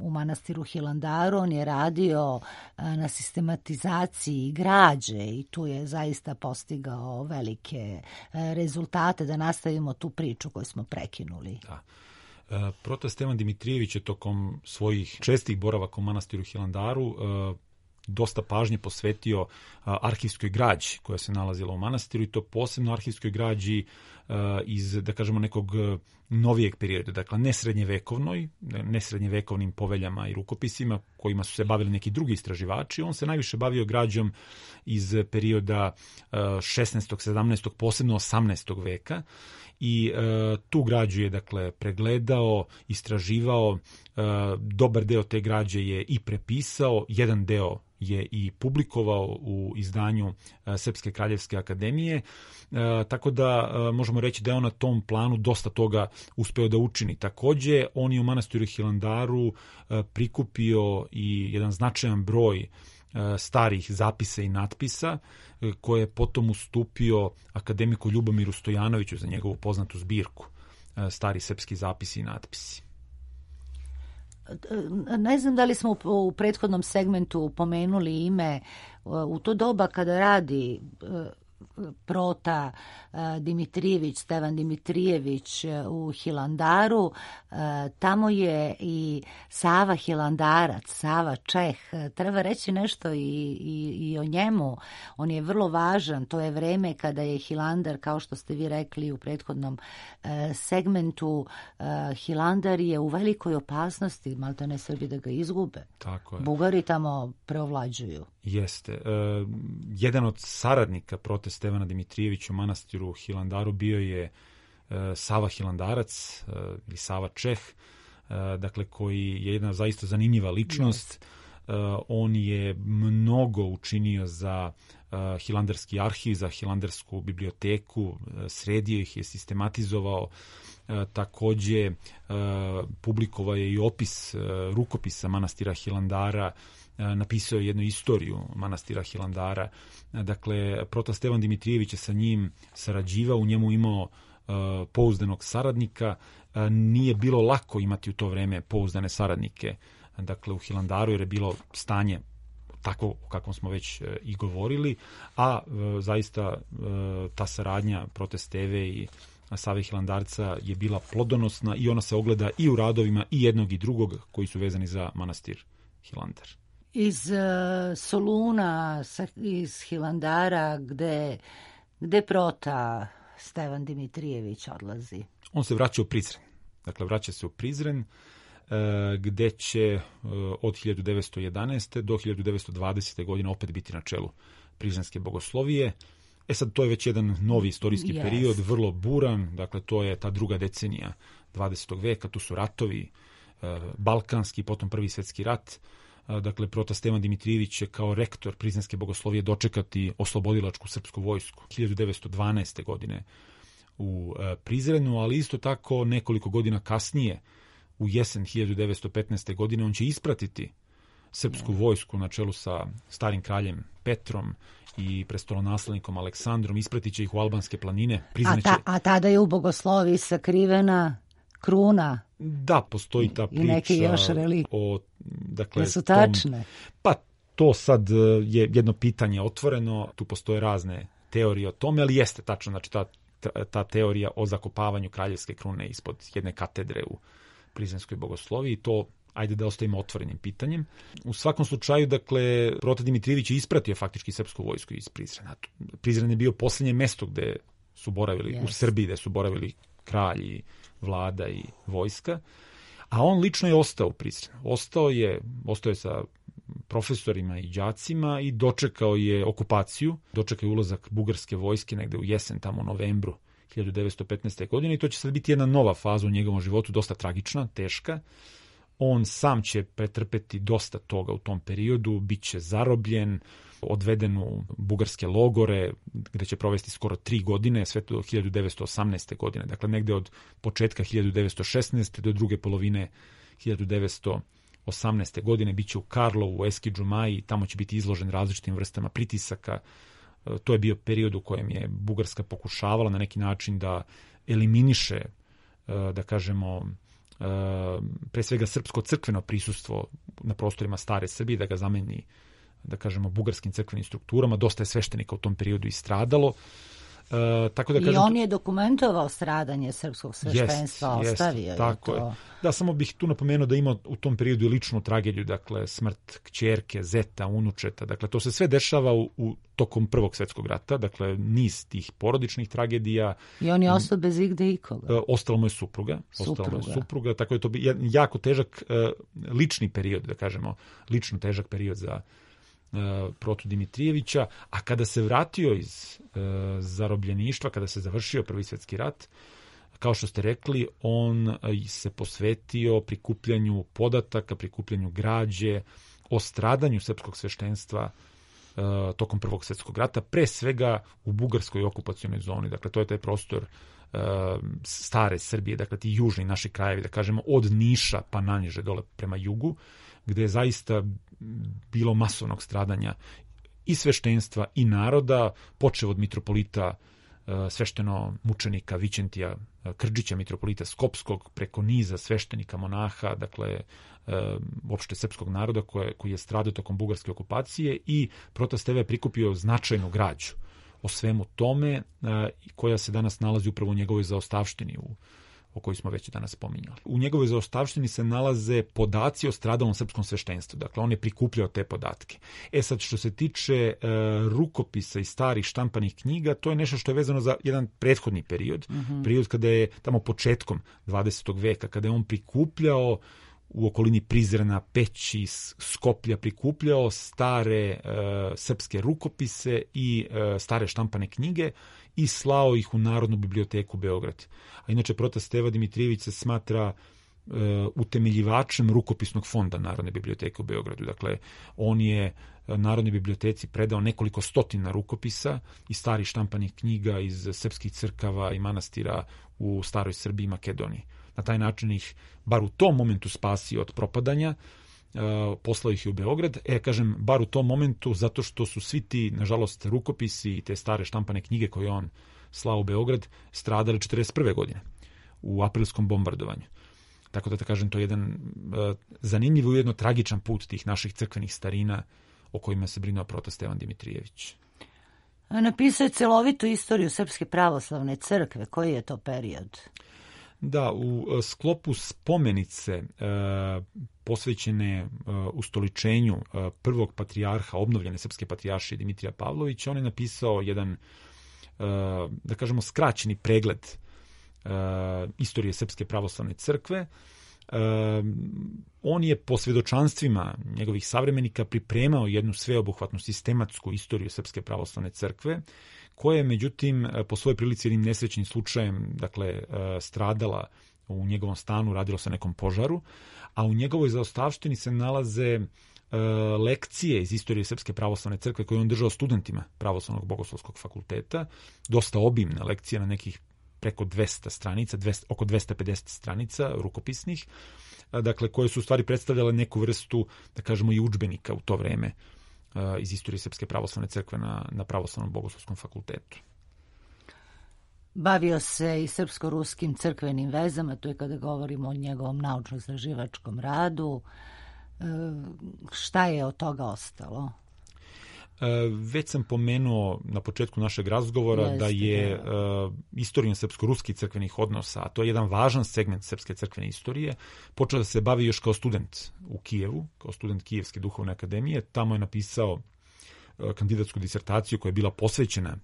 u manastiru Hilandaru on je radio na sistematizaciji građe i tu je zaista postigao velike rezultate. Da nastavimo tu priču koju smo prekinuli. Da. Prote Stevan Dimitrijević je tokom svojih čestih boravaka u manastiru Hilandaru dosta pažnje posvetio arhivskoj građi koja se nalazila u manastiru, i to posebno arhivskoj građi iz, da kažemo, nekog novijeg perioda, dakle ne srednjevekovnoj, ne srednjevekovnim poveljama i rukopisima kojima su se bavili neki drugi istraživači. On se najviše bavio građom iz perioda šesnaestog, sedamnaestog, posebno osamnaestog veka, i e, tu građu je, dakle, pregledao, istraživao, e, dobar deo te građe je i prepisao, jedan deo je i publikovao u izdanju e, Srpske kraljevske akademije, e, tako da e, možemo reći da je on na tom planu dosta toga uspeo da učini. Takođe, on je u manastiru Hilandaru e, prikupio i jedan značajan broj starih zapisa i natpisa koje je potom ustupio akademiku Ljubomiru Stojanoviću za njegovu poznatu zbirku Stari srpski zapisi i natpisi. Ne znam da li smo u prethodnom segmentu pomenuli ime. U to doba kada radi prota Dimitrijević, Stevan Dimitrijević u Hilandaru, tamo je i Sava Hilandarac, Sava Čeh. Treba reći nešto i, i, i o njemu. On je vrlo važan. To je vreme kada je Hilandar, kao što ste vi rekli u prethodnom segmentu, Hilandar je u velikoj opasnosti, malto ne Srbi da ga izgube. Tako je. Bugari tamo preovlađuju. Jeste. E, jedan od saradnika prote Stevana Dimitrijevića u manastiru Hilandaru bio je e, Sava Hilandarac e, ili Sava Čeh, e, dakle, koji je jedna zaista zanimljiva ličnost. E, on je mnogo učinio za e, Hilandarski arhiv, za Hilandarsku biblioteku, e, sredio ih je, sistematizovao. E, takođe e, publikovao je i opis e, rukopisa manastira Hilandara, napisao je jednu istoriju manastira Hilandara. Dakle, proto Stevan Dimitrijević je sa njim sarađivao, u njemu imao uh, pouzdanog saradnika. Uh, nije bilo lako imati u to vreme pouzdane saradnike, dakle, u Hilandaru, jer je bilo stanje tako o kakvom smo već uh, i govorili, a uh, zaista uh, ta saradnja prote Steve i Save Hilandarca je bila plodonosna i ona se ogleda i u radovima i jednog i drugog koji su vezani za manastir Hilandar. Iz uh, Soluna, iz Hilandara, gde, gde prota Stevan Dimitrijević odlazi? On se vraća u Prizren. Dakle, vraća se u Prizren, uh, gde će uh, od hiljadu devetsto jedanaeste. do hiljadu devetsto dvadesete. godine opet biti na čelu prizrenske bogoslovije. E sad, to je već jedan novi istorijski yes. period, vrlo buran, dakle, to je ta druga decenija dvadesetog veka, tu su ratovi, uh, balkanski, potom prvi svetski rat. Dakle, prota Stevan Dimitrijević će kao rektor prizrenske bogoslovije dočekati oslobodilačku srpsku vojsku hiljadu devetsto dvanaeste. godine u Prizrenu, ali isto tako nekoliko godina kasnije, u jesen hiljadu devetsto petnaeste. godine, on će ispratiti srpsku vojsku na čelu sa starim kraljem Petrom i prestolonaslednikom Aleksandrom, ispratit će ih u albanske planine. A, ta, a tada je u bogosloviji sakrivena kruna. Da, postoji ta priča. I neke još relikvije. O, dakle, su tačne? Tom, pa to sad je jedno pitanje otvoreno, tu postoje razne teorije o tome, ali jeste tačno, znači ta, ta teorija o zakopavanju kraljevske krune ispod jedne katedre u Prizrenskoj bogosloviji, to ajde da ostavimo otvorenim pitanjem. U svakom slučaju, dakle, Prote Dimitrijević je ispratio faktički srpsku vojsku iz Prizrena. Prizren je bio posljednje mesto gde su boravili, yes. u Srbiji, gde su boravili kralji, vlada i vojska, a on lično je ostao u Prizrenu. Ostao je, ostao je sa profesorima i đacima i dočekao je okupaciju, dočekao je ulazak bugarske vojske negde u jesen, tamo u novembru hiljadu devetsto petnaeste. godine i to će sad biti jedna nova faza u njegovom životu, dosta tragična, teška. On sam će pretrpeti dosta toga u tom periodu, bit će zarobljen, odveden u bugarske logore, gde će provesti skoro tri godine, sve do hiljadu devetsto osamnaeste. godine. Dakle, negde od početka hiljadu devetsto šesnaeste. do druge polovine hiljadu devetsto osamnaeste. godine bit će u Karlovu, u Eskidžumaji, tamo će biti izložen različitim vrstama pritisaka. To je bio period u kojem je Bugarska pokušavala na neki način da eliminiše, da kažemo, pre svega srpsko crkveno prisustvo na prostorima stare Srbije, da ga zameni, da kažemo, bugarskim crkvenim strukturama. Dosta je sveštenika u tom periodu i stradalo. E, tako da kažem, I on je dokumentovao stradanje srpskog sveštenstva, jest, ostavio jest, tako je to. Je. Da, samo bih tu napomenuo da ima u tom periodu i ličnu tragediju, dakle smrt kćerke, zeta, unučeta, dakle to se sve dešava u, u tokom Prvog svjetskog rata, dakle niz tih porodičnih tragedija. I on je ostao bez igde ikoga. E, ostala mu je supruga, supruga. Ostala mu je supruga, tako je to bi jako težak e, lični period, da kažemo, lično težak period za Protu Dimitrijevića, a kada se vratio iz e, zarobljeništva, kada se završio Prvi svjetski rat, kao što ste rekli, on se posvetio prikupljanju podataka, prikupljanju građe o stradanju srpskog sveštenstva e, tokom Prvog svjetskog rata, pre svega u bugarskoj okupacionoj zoni. Dakle, to je taj prostor e, stare Srbije, dakle ti južni naši krajevi, da kažemo, od Niša pa naniže dole prema jugu, gde je zaista bilo masovnog stradanja i sveštenstva i naroda, počev od mitropolita svešteno mučenika Vićentija Krđića, mitropolita Skopskog, preko niza sveštenika monaha, dakle uopšte srpskog naroda koje, koji je stradao tokom bugarske okupacije, i Protas te ve je prikupio značajnu građu o svemu tome, koja se danas nalazi upravo u njegovoj zaostavštini u o kojoj smo već danas spominjali. U njegovoj zaostavštini se nalaze podaci o stradalom srpskom sveštenstvu. Dakle, on je prikupljao te podatke. E sad, što se tiče e, rukopisa i starih štampanih knjiga, to je nešto što je vezano za jedan prethodni period. Mm-hmm. Period kada je tamo početkom dvadesetog veka, kada je on prikupljao u okolini Prizrena, Peći, Skoplja, prikupljao stare e, srpske rukopise i e, stare štampane knjige i slao ih u Narodnu biblioteku Beograd. A inače, Prota Steva Dimitrijević se smatra e, utemeljivačem rukopisnog fonda Narodne biblioteke u Beogradu. Dakle, on je Narodnoj biblioteci predao nekoliko stotina rukopisa i starih štampanih knjiga iz srpskih crkava i manastira u staroj Srbiji i Makedoniji. Na taj način ih, bar u tom momentu, spasio od propadanja, Uh, poslao ih je u Beograd. E, kažem, bar u tom momentu, zato što su svi ti, nažalost, rukopisi i te stare štampane knjige koje on slao u Beograd stradali četrdeset prve. godine u aprilskom bombardovanju. Tako da, da kažem, to je jedan uh, zanimljiv i ujedno tragičan put tih naših crkvenih starina o kojima se brinuo Prota Stevan Dimitrijević. Napisao je celovitu istoriju Srpske pravoslavne crkve. Koji je to period? Da, u sklopu spomenice e, posvećene e, ustoličenju e, prvog patrijarha, obnovljene srpske patrijaršije Dimitrija Pavlovića, on je napisao jedan, e, da kažemo, skraćeni pregled e, istorije Srpske pravoslavne crkve. E, on je po svedočanstvima njegovih savremenika pripremao jednu sveobuhvatnu sistematsku istoriju Srpske pravoslavne crkve, koja je, međutim, po svojoj prilici jednim nesrećnim slučajem, dakle, stradala u njegovom stanu, radilo se o nekom požaru, a u njegovoj zaostavštini se nalaze lekcije iz istorije Srpske pravoslavne crkve koje je on držao studentima Pravoslavnog bogoslovskog fakulteta, dosta obimne lekcije na nekih preko dvesta stranica, dvesta, oko dvesta pedeset stranica rukopisnih, dakle, koje su u stvari predstavljale neku vrstu, da kažemo, i udžbenika u to vreme iz istorije Srpske pravoslavne crkve na, na Pravoslavnom bogoslovskom fakultetu. Bavio se i srpsko-ruskim crkvenim vezama, to je kada govorimo o njegovom naučno-istraživačkom radu. E, šta je od toga ostalo? E, već sam pomenuo na početku našeg razgovora Jeste, da je da. E, istorija srpsko-ruskih crkvenih odnosa, a to je jedan važan segment srpske crkvene istorije, počeo da se bavi još kao student u Kijevu, kao student Kijevske duhovne akademije. Tamo je napisao e, kandidatsku disertaciju koja je bila posvećena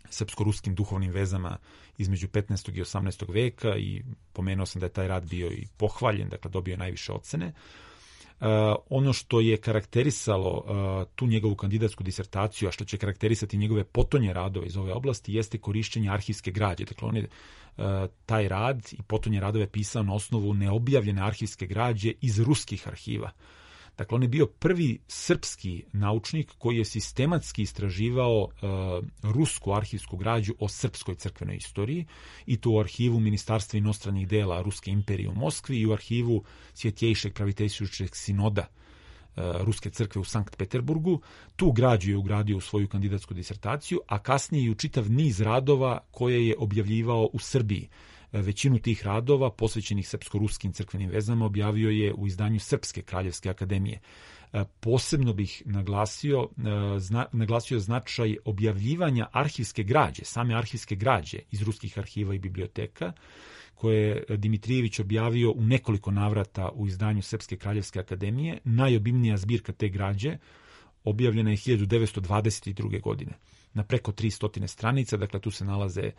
srpsko-ruskim duhovnim vezama između petnaestog i osamnaestog veka i pomenuo sam da je taj rad bio i pohvaljen, dakle dobio je najviše ocene. Uh, ono što je karakterisalo uh, tu njegovu kandidatsku disertaciju, a što će karakterisati njegove potonje radove iz ove oblasti, jeste korišćenje arhivske građe. Dakle, on je uh, taj rad i potonje radove pisao na osnovu neobjavljene arhivske građe iz ruskih arhiva. Dakle, on je bio prvi srpski naučnik koji je sistematski istraživao uh, rusku arhivsku građu o srpskoj crkvenoj istoriji, i to u arhivu Ministarstva inostranih dela Ruske imperije u Moskvi i u arhivu Svjetjejšeg praviteljstvujućeg sinoda uh, Ruske crkve u Sankt Peterburgu. Tu građu je ugradio u svoju kandidatsku disertaciju, a kasnije i u čitav niz radova koje je objavljivao u Srbiji. Većinu tih radova posvećenih srpsko-ruskim crkvenim vezama objavio je u izdanju Srpske kraljevske akademije. Posebno bih naglasio, zna, naglasio značaj objavljivanja arhivske građe, same arhivske građe iz ruskih arhiva i biblioteka, koje je Dimitrijević objavio u nekoliko navrata u izdanju Srpske kraljevske akademije. Najobimnija zbirka te građe objavljena je hiljadu devetsto dvadeset druge. godine na preko tristo stranica, dakle tu se nalaze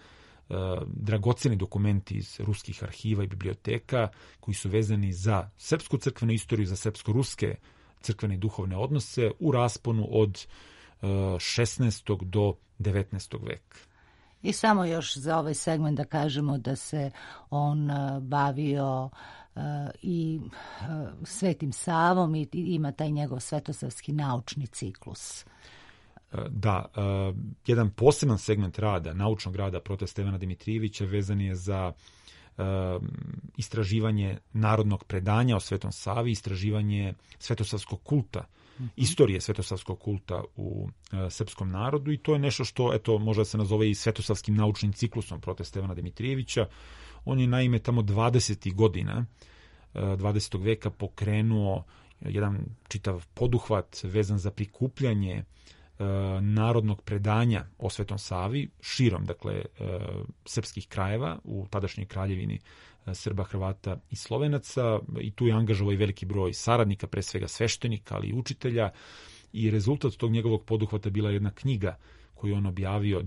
Uh, dragoceni dokumenti iz ruskih arhiva i biblioteka koji su vezani za srpsku crkvenu istoriju, za srpsko-ruske crkvene i duhovne odnose u rasponu od uh, šesnaestog do devetnaestog veka. I samo još za ovaj segment da kažemo da se on uh, bavio uh, i uh, Svetim Savom i, i ima taj njegov svetosavski naučni ciklus. Da, uh, jedan poseban segment rada, naučnog rada prote Stevana Dimitrijevića vezan je za uh, istraživanje narodnog predanja o Svetom Savi, istraživanje svetosavskog kulta, mm-hmm. istorije svetosavskog kulta u uh, srpskom narodu, i to je nešto što, eto, možda se nazove i svetosavskim naučnim ciklusom prote Stevana Dimitrijevića. On je naime tamo dvadesetih godina uh, dvadesetog veka pokrenuo jedan čitav poduhvat vezan za prikupljanje narodnog predanja o Svetom Savi širom, dakle, srpskih krajeva u tadašnjoj kraljevini Srba, Hrvata i Slovenaca, i tu je angažovao i veliki broj saradnika, pre svega sveštenika, ali i učitelja, i rezultat tog njegovog poduhvata bila jedna knjiga koju on objavio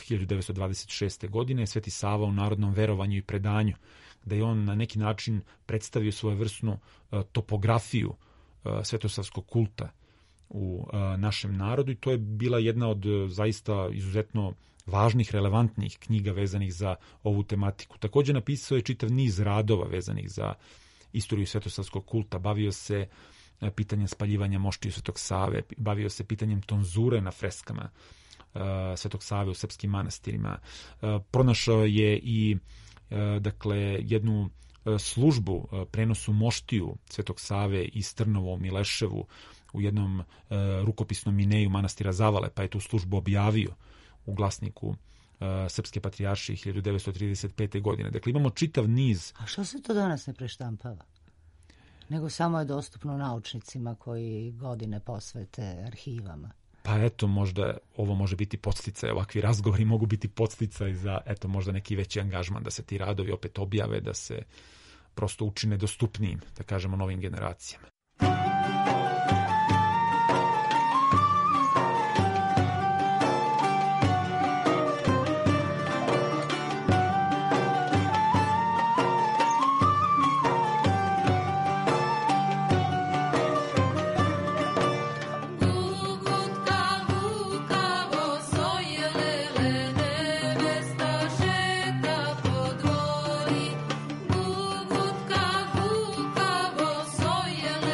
hiljadu devetsto dvadeset šeste. godine, Sveti Sava u narodnom verovanju i predanju, gde je on na neki način predstavio svojevrsnu topografiju svetosavskog kulta u a, našem narodu, i to je bila jedna od zaista izuzetno važnih, relevantnih knjiga vezanih za ovu tematiku. Također napisao je čitav niz radova vezanih za istoriju svetosavskog kulta. Bavio se a, pitanjem spaljivanja moštiju Svetog Save, bavio se pitanjem tonzure na freskama a, Svetog Save u srpskim manastirima. A, pronašao je i a, dakle jednu a, službu a, prenosu moštiju Svetog Save iz Trnovo u Mileševu u jednom e, rukopisnom mineju manastira Zavale, pa je tu službu objavio u glasniku e, Srpske patrijaršije hiljadu devetsto trideset pete. godine. Dakle, imamo čitav niz... A što se to danas ne preštampava? Nego samo je dostupno naučnicima koji godine posvete arhivama. Pa eto, možda ovo može biti podsticaj, ovakvi razgovori mogu biti podsticaj za, eto, možda neki veći angažman, da se ti radovi opet objave, da se prosto učine dostupnijim, da kažemo, novim generacijama. Gugutka, gukavo, sojele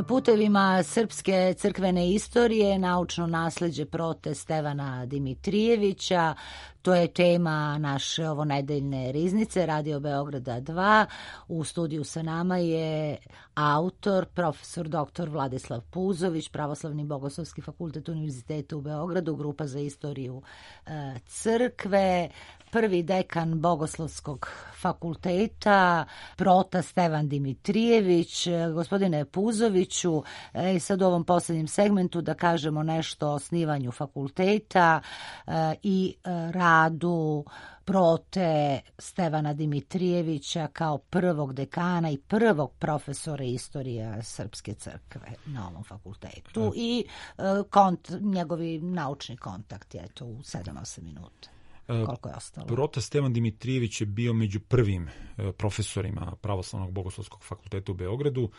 Putevima srpske crkvene istorije, naučno nasleđe prote Stevana Dimitrijevića, to je tema naše ovonedeljne riznice Radio Beograda dva. U studiju sa nama je autor, profesor doktor Vladislav Puzović, Pravoslavni bogoslovski fakultet Univerziteta u Beogradu, grupa za istoriju e, crkve, prvi dekan Bogoslovskog fakulteta, prota Stevan Dimitrijević. Gospodine Puzoviću, e, sad u ovom posljednjem segmentu da kažemo nešto o osnivanju fakulteta e, i e, radu prote Stevana Dimitrijevića kao prvog dekana i prvog profesora istorije Srpske crkve na ovom fakultetu i e, kont, njegovi naučni kontakti, eto, u sedam osam minuta. Koliko je ostalo? Prota Stevan Dimitrijević je bio među prvim profesorima Pravoslavnog bogoslovskog fakulteta u Beogradu.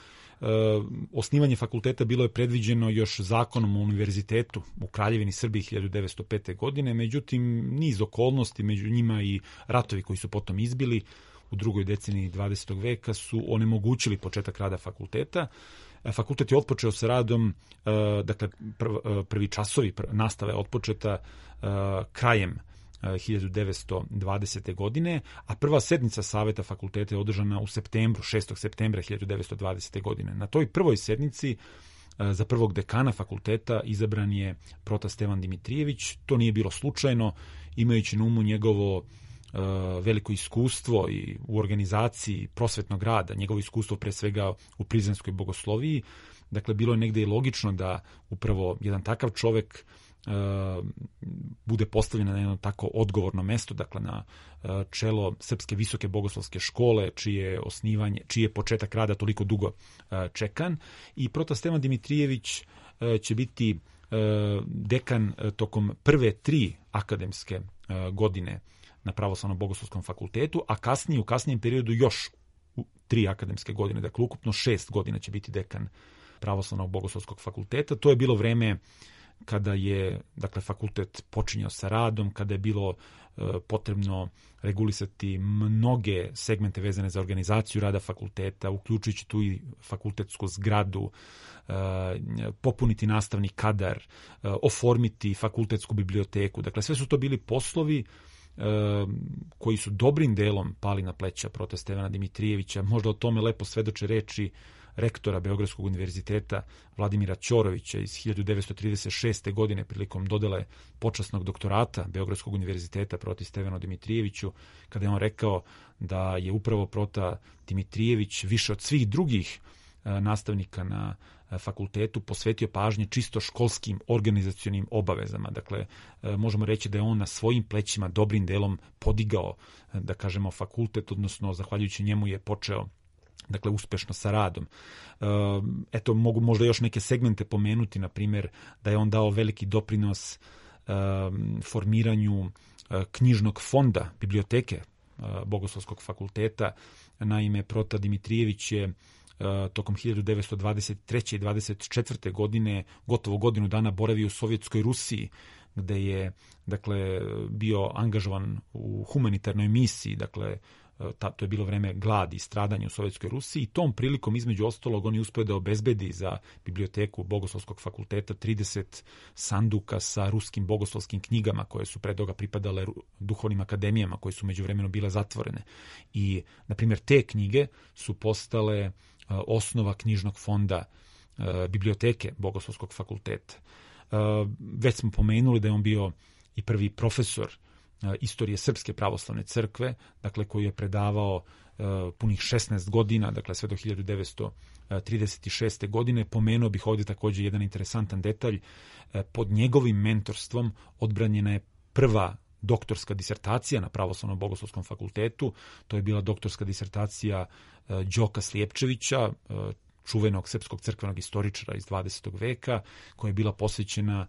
Osnivanje fakulteta bilo je predviđeno još zakonom o univerzitetu u Kraljevini Srbiji hiljadu devetsto pete. godine, međutim niz okolnosti, među njima i ratovi koji su potom izbili u drugoj deceniji dvadesetog veka su onemogućili početak rada fakulteta. Fakultet je otpočeo sa radom, dakle prvi časovi nastave otpočeta krajem hiljadu devetsto dvadesete. godine, a prva sednica saveta fakulteta je održana u septembru, šestog septembra hiljadu devetsto dvadesete. godine. Na toj prvoj sednici za prvog dekana fakulteta izabran je prota Stevan Dimitrijević. To nije bilo slučajno, imajući na umu njegovo uh, veliko iskustvo i u organizaciji prosvetnog rada, njegovo iskustvo pre svega u prizrenskoj bogosloviji. Dakle, bilo je negde i logično da upravo jedan takav čovek Uh, bude postavljena na jedno tako odgovorno mesto, dakle na uh, čelo Srpske visoke bogoslovske škole, čije osnivanje, čiji je početak rada toliko dugo uh, čekan. I prota Stevan Dimitrijević uh, će biti uh, dekan uh, tokom prve tri akademske uh, godine na Pravoslavnom bogoslovskom fakultetu, a kasnije, u kasnijem periodu još u tri akademske godine, dakle ukupno šest godina će biti dekan Pravoslavnog bogoslovskog fakulteta. To je bilo vreme kada je, dakle, fakultet počinjao sa radom, kada je bilo e, potrebno regulisati mnoge segmente vezane za organizaciju rada fakulteta, uključujući tu i fakultetsku zgradu, e, popuniti nastavni kadar, e, oformiti fakultetsku biblioteku. Dakle, sve su to bili poslovi e, koji su dobrim delom pali na pleća prota Stevana Dimitrijevića. Možda o tome lepo svedoče reči rektora Beogradskog univerziteta Vladimira Ćorovića iz hiljadu devetsto trideset šeste. godine prilikom dodele počasnog doktorata Beogradskog univerziteta proti Stevanu Dimitrijeviću, kada je on rekao da je upravo prota Dimitrijević više od svih drugih nastavnika na fakultetu posvetio pažnje čisto školskim organizacionim obavezama. Dakle, možemo reći da je on na svojim plećima dobrim delom podigao, da kažemo, fakultet, odnosno zahvaljujući njemu je počeo, dakle, uspešno sa radom. Eto, mogu možda još neke segmente pomenuti, na primjer, da je on dao veliki doprinos formiranju knjižnog fonda biblioteke Bogoslovskog fakulteta. Naime, prota Dimitrijević je tokom hiljadu devetsto dvadeset treće. i dvadeset četvrte. godine gotovo godinu dana boravio u Sovjetskoj Rusiji, gde je, dakle, bio angažovan u humanitarnoj misiji, dakle, Ta, to je bilo vreme gladi i stradanja u Sovjetskoj Rusiji i tom prilikom, između ostalog, on je uspio da obezbedi za biblioteku Bogoslovskog fakulteta trideset sanduka sa ruskim bogoslovskim knjigama koje su pre toga pripadale duhovnim akademijama koje su međuvremeno bile zatvorene. I, na primjer, te knjige su postale uh, osnova knjižnog fonda uh, biblioteke Bogoslovskog fakulteta. Uh, već smo pomenuli da je on bio i prvi profesor istorije Srpske pravoslavne crkve, dakle, koji je predavao uh, punih šesnaest godina, dakle sve do hiljadu devetsto trideset šeste. godine. Pomenuo bih ovdje također jedan interesantan detalj. Uh, pod njegovim mentorstvom odbranjena je prva doktorska disertacija na Pravoslavnom bogoslovskom fakultetu. To je bila doktorska disertacija uh, Đoka Slijepčevića, uh, čuvenog srpskog crkvenog istoričara iz dvadesetog. veka, koja je bila posvećena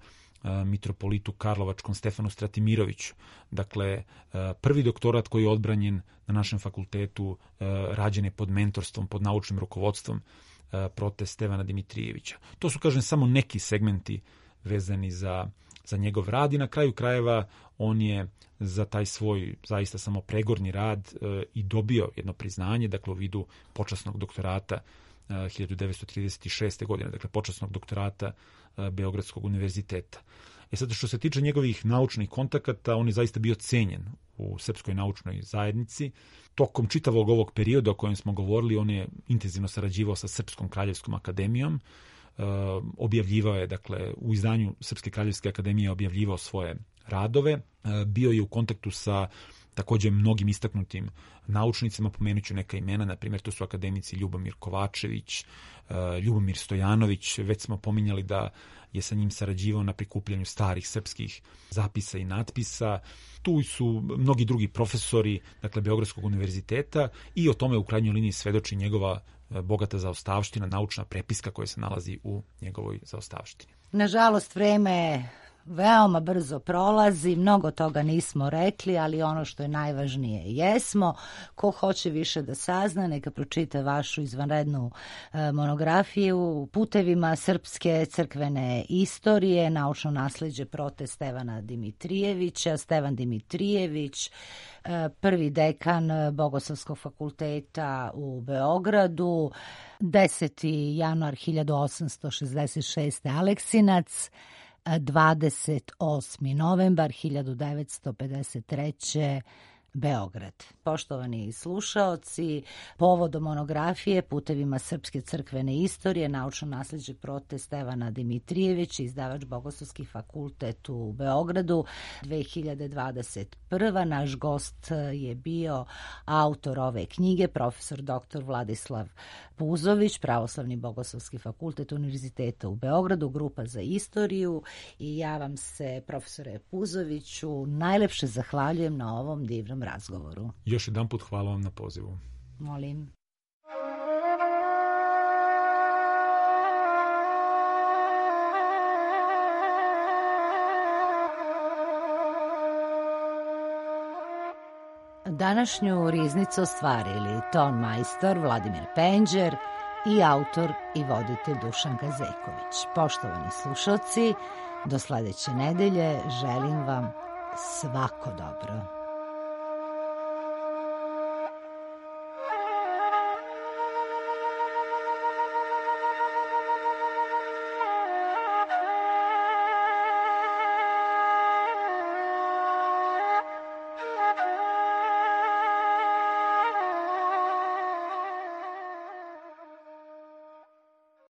mitropolitu Karlovačkom Stefanu Stratimiroviću. Dakle, prvi doktorat koji je odbranjen na našem fakultetu rađen je pod mentorstvom, pod naučnim rukovodstvom prote Stevana Dimitrijevića. To su, kažem, samo neki segmenti vezani za, za njegov rad i na kraju krajeva on je za taj svoj zaista samo pregorni rad i dobio jedno priznanje, dakle u vidu počasnog doktorata hiljadu devetsto trideset šeste. godine, dakle počasnog doktorata Beogradskog univerziteta. E sad, što se tiče njegovih naučnih kontakata, on je zaista bio cenjen u srpskoj naučnoj zajednici. Tokom čitavog ovog perioda o kojem smo govorili, on je intenzivno sarađivao sa Srpskom kraljevskom akademijom. E, objavljivao je, dakle, u izdanju Srpske kraljevske akademije objavljivao svoje radove. E, bio je u kontaktu sa također mnogim istaknutim naučnicima, pomenut ću neka imena, na primjer to su akademici Ljubomir Kovačević, Ljubomir Stojanović, već smo pominjali da je sa njim sarađivao na prikupljanju starih srpskih zapisa i natpisa. Tu su mnogi drugi profesori, dakle, Beogradskog univerziteta, i o tome u krajnjoj liniji svedoči njegova bogata zaostavština, naučna prepiska koja se nalazi u njegovoj zaostavštini. Nažalost, vreme veoma brzo prolazi, mnogo toga nismo rekli, ali ono što je najvažnije jesmo. Ko hoće više da sazna, neka pročita vašu izvanrednu e, monografiju Putevima srpske crkvene istorije, naučno nasleđe prote Stevana Dimitrijevića. Stevan Dimitrijević, e, prvi dekan Bogoslovskog fakulteta u Beogradu, deseti januar hiljadu osamsto šezdeset šeste. Aleksinac, dvadeset osmi novembar hiljadu devetsto pedeset treće. Beograd. Poštovani slušaoci, povodom monografije Putevima srpske crkvene istorije, naučno nasleđe prote Stevana Dimitrijevića, izdavač Bogoslovski fakultet u Beogradu, dve hiljade dvadeset prva. Naš gost je bio autor ove knjige, profesor doktor Vladislav Puzović, Pravoslavni Bogoslovski fakultet Univerziteta u Beogradu, grupa za istoriju, i ja vam se, profesore Puzoviću, najlepše zahvaljujem na ovom divnom razgovoru. Još jedan put hvala vam na pozivu. Molim. Današnju riznicu ostvarili ton majstor Vladimir Penđer i autor i voditelj Dušan Gazeković. Poštovani slušalci, do sledeće nedelje želim vam svako dobro.